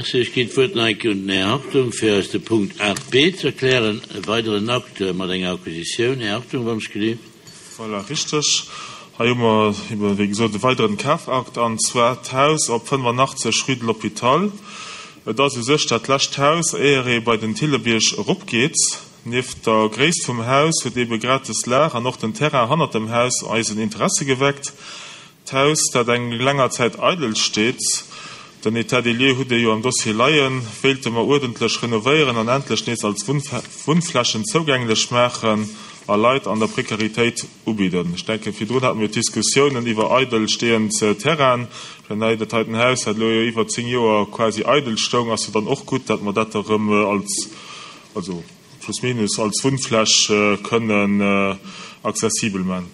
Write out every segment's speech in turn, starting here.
Merci. Ech ginn d'Wuert nach eng Kéier un den Här Hartung, fir eis de Punkt 8b ze erklären, e weideren Akt mat enger Acquisitioun. Här Hartung, wann ech gelift. Voilà, richteg. Hei hu mer ebe wéi gesot e weideren Kafakt, an zwar d'Haus op 85 rue de l'Hôpital. Et ass u sech dat lescht Haus, éier ee bei den Thillebierg eropgeet. Nieft der Gréisst vum Haus huet ebe grad des Lag an och den Terrain hannert dem Haus eisen Interesse geweckt. D'Haus, dat eng länger Zäit eidel steet, den État des lieux hutt Dir jo am Dossier leien, wéilte mer uerdentlech renovéieren an endlech nees als Wunnflächen zougänglech maachen a Leit an der Prekaritéit ubidden. Ech denken, virdrun hate mir d'Diskussiounen iwwer eidel stehend Terrainen. Ech mengen, hei dat heiten Haus, dat elo jo iwwer 10 Joer quasi eidel stoung, ass jo dann och gutt, dat mer dat erëm als, also plus minus, als Wunnfläch kënnen accessibel man.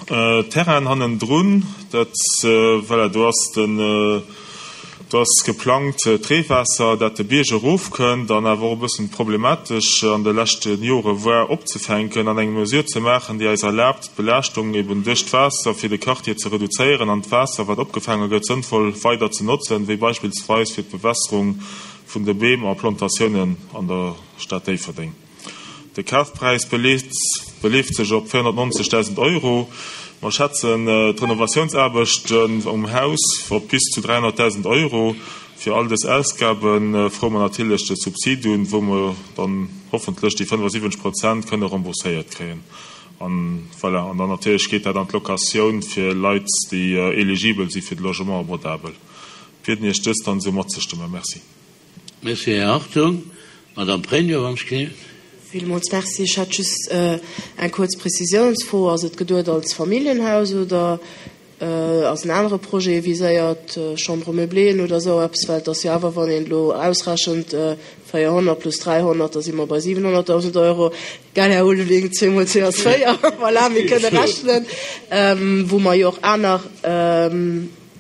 Terrain hannendrun, dat, voilà, do ass den, do ass geplangt d'Reewaasser, dat de Bierg erofkënnt an awer och e bëssen problematesch an de leschte Jore war, opzefänken an eng Mesure ze maachen, déi eis erlaabt, d'Belaaschtung eben duerch d'Waasser fir de Quartier ze reduzéieren an d'Waasser, wat opgefaange gëtt, sënnvoll weider ze notzen, wéi beispillsweis fir d'Bewässerung vun de Beem a Plantatiounen an der Stad Déifferdeng. De Kafpräis beleeft sech op 490.000 Euro. Mer schätzen d'Renovatiounsaarbechten um Haus op bis zu 300.000 Euro. Fir all dës Ausgabe froe mer natierlech de Subsid un, wou mer dann hoffentlech déi 75 Prozent kënne rembourséiert kréien. An voilà, an dann natierlech geet dat an d'Locatioun fir Leit, déi eligibel si fir de Logement abordabel. Bieden Iech dëst dann esou matzestëmmen. Merci. Merci, Här Hartung. Madame Pregno, wann ech gelift. Villmools Merci. Ech hätt just eng kuerz Prezisiounsfro. Ass et geduet als Familljenhaus oder ass en anere Projet viséiert, Chambre meubléen oder esou eppes? Well et ass jo awer, wann een elo ausrechent, 400 plus 300, da si mer bei 700.000 Euro. Gell, Här Ulveling, zweemol zwee ass véier. Voilà, mir kënne rechnen, wou mer jo och aner.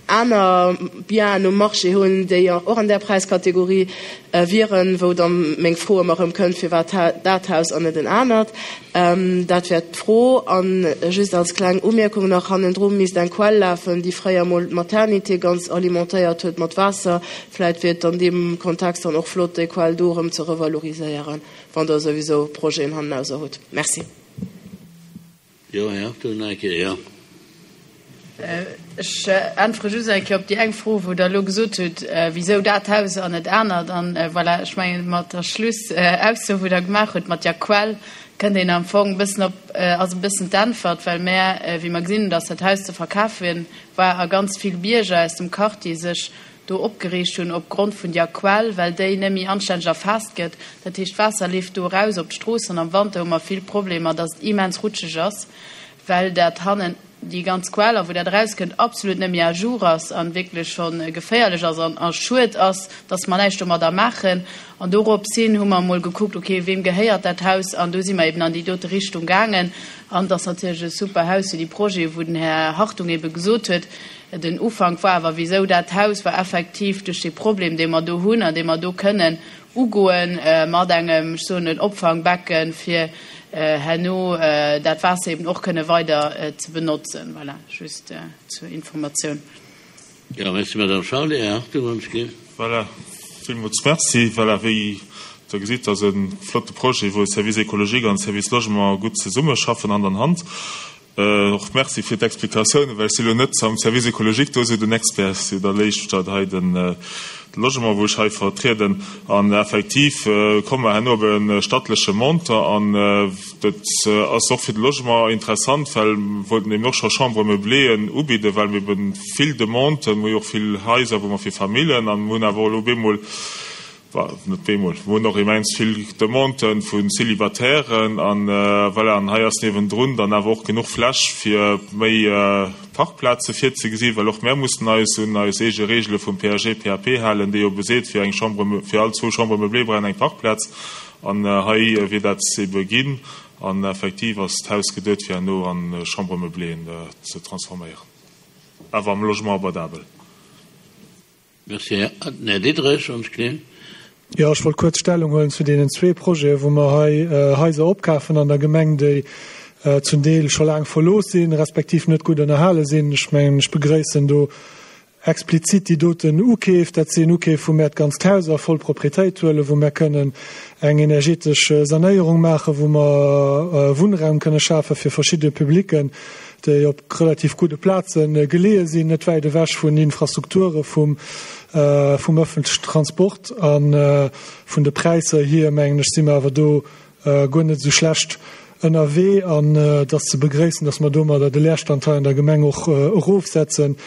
aner Bienen um Marché hunn, déi och an där Präiskategorie wieren, wou da meng Fro ëmmer erëm kënnt, Firwat dat Haus an net en anert? Dat wär d'Fro. A just als kleng Umierkung nach, Hannendru misst eng Quell lafen, déi fréier emol d'Maternité ganz alimentéiert huet mat Waasser. Vläicht wier et an deem Kontext dann och flott, déi Quell do erëm ze revaloriséieren, wann Der souwisou Projeten hannenauser hutt. Merci. Jo, Här Hartung, nach eng Kéier, jo. Ech äntwere just eng Kéier op déi eng Fro, wou Der elo gesot hutt, wisou dat Haus an net anert. An voilà, ech mengen, mat der Schlussausso, wou Der gemaach hutt mat der Quell, kënnt een am Fong e bëssen op, ass e bëssen d'Äntwert, well mär, wéi mer gesinn hunn, dass dat Haus ze verkafe war a ganz vill Bierger aus dem Quartier sech do opgereegt hunn op Grond vun der Quell, well déi net méi anstänneg erfaasst gëtt. Dat heescht, d'Waasser leeft do eraus op d'Strooss an am Wanter hu mer vill Problemer, dass et immens rutscheg ass, well dat hannen déi ganz Quell a wou dat erauskënnt absolut net méi à jour ass an wierklech scho geféierlech ass an a schued ass, dass mer näischt domadder maachen. An dorops hin hu mer emol gekuckt, okay, weem gehéiert dat Haus? An do si mer eben an déi dote Richtung gaangen. An et ass natierlech e super Haus fir déi Projete wou den Här Hartung ebe gesot huet, Den Ufank war awer, wisou dat Haus war effektiv duerch dee Problem, dee mer do hunn an dee mer do kënnen ugoen mat engem, ech soen en Opfangbecken, fir herno dat Waasser eben och kënne weider ze benotzen. Voilà, just zur Informatioun. Jo, merci, Madame Charlé. Här Hartung, wann ech géif. Voilà, villmools merci. Voilà, wéi Der gesitt, ass e flotte Projet, wou Service écologique an Service Logement gutt zesummeschaffen, Hand an Hand. Och Merci fir d'Explikatiounen, well ech si lo net am Service écologique do esou den Expert, si da léischter hei de Logement, wou ech hei vertrieden. An effektiv komme mer herno op e stattleche Montant an dat ass och fir de Logement interessant, well mer wollten eben och scho Chambres meubléeën ubidden, well mir eben vill Demanden, mer hu jo och vill Haiser, wou mer fir Famillen an mer hunn awer och elo bemol, Net bemol, mer hunn och immens vill Demanden vu Célibataires an voilà, an hei ass niewendrun dann awer och genuch Fläch fir méi Parkplaze virzegesinn, well och mär mussen eis un eis eege Reegele vum PAG, PAP halen, déi jo beseet, fir eng Chambre, fir all zwou Chambres meublées brauch een eng Parkplaz an hei wier dat ebe ginn an effektiv ass d'Haus geduet fir herno a Chambres meublées ze transforméieren, awer am Logement abordabel. Merci, Här Diderich, ons Klee. Jo, ech wollt kuerz Stellung huelen zu deenen zwee Projeten, wou mer hei Haiser opkafen an der Gemeng, déi zum Deel scho laang verlooss sinn, respektiv net gutt ënnerhale sinn. Ech mengen, ech begréissen do. explizit déi doten Ukeef, dat sinn Ukeef, wou mär d'ganzt Haus a voll Proprietéit huelen, wou mär kënnen eng energetesch Sanéierung maachen, wou mer Wunnraum kënne schafe fir verschidde Publicken, déi op relativ gudde Plaze geleeë sinn, net wäit ewech vun Infrastrukture vum ëffentlechen Transport. A vun de Präisser hier, mengen ech, si mer awer do guer net esou schlecht ënnerwee an et ass ze begréissen, dass mer domadder de Leerstand hei an der Gemeng och erofsetzen.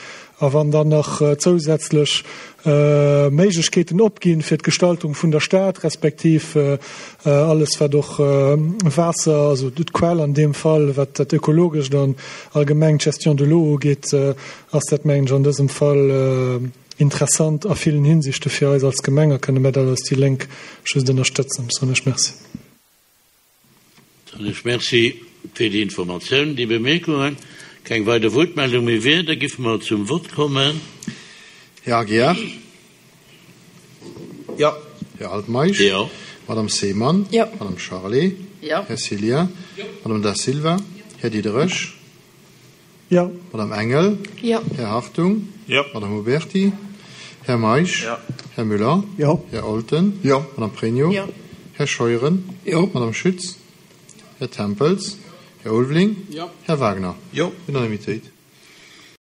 A wann dann nach zousätzlech Méiglechkeeten opginn fir d'Gestaltung vun der Stad, respektiv alles wat och Waasser, also d'Quell an deem Fall, wat dat Ökologescht an allgemeng d'Gestion de l'eau ugeet, ass dat, mengen ech, an dësem Fall interessant a villen Hinsichte fir eis als Gemeng a kënne mir dat als déi Lénk just ënnerstëtzen. Soen ech Merci. Soen ech Merci fir déi Informatioun, déi Bemierkungen. Keng weider Wuertmeldung méi wier, da giffe mer zum Vott kommen. Här Aguiar? Jo. Här Altmeisch? Jo. Madame Seemann? Jo. Madame Charlé? Jo. Här Cillien? Jo. Madame Da Silva? Här Diderich? Jo. Madame Engel? Jo. Här Hartung? Jo. Madame Huberty? Här Meisch? Jo. Här Müller? Jo. Här Olten? Jo. Madame Pregno? Jo. Här Scheuren? Jo. Madame Schütz? Här Tempels? Här Ulveling? Jo. Här Wagner? Jo. Unanimitéit.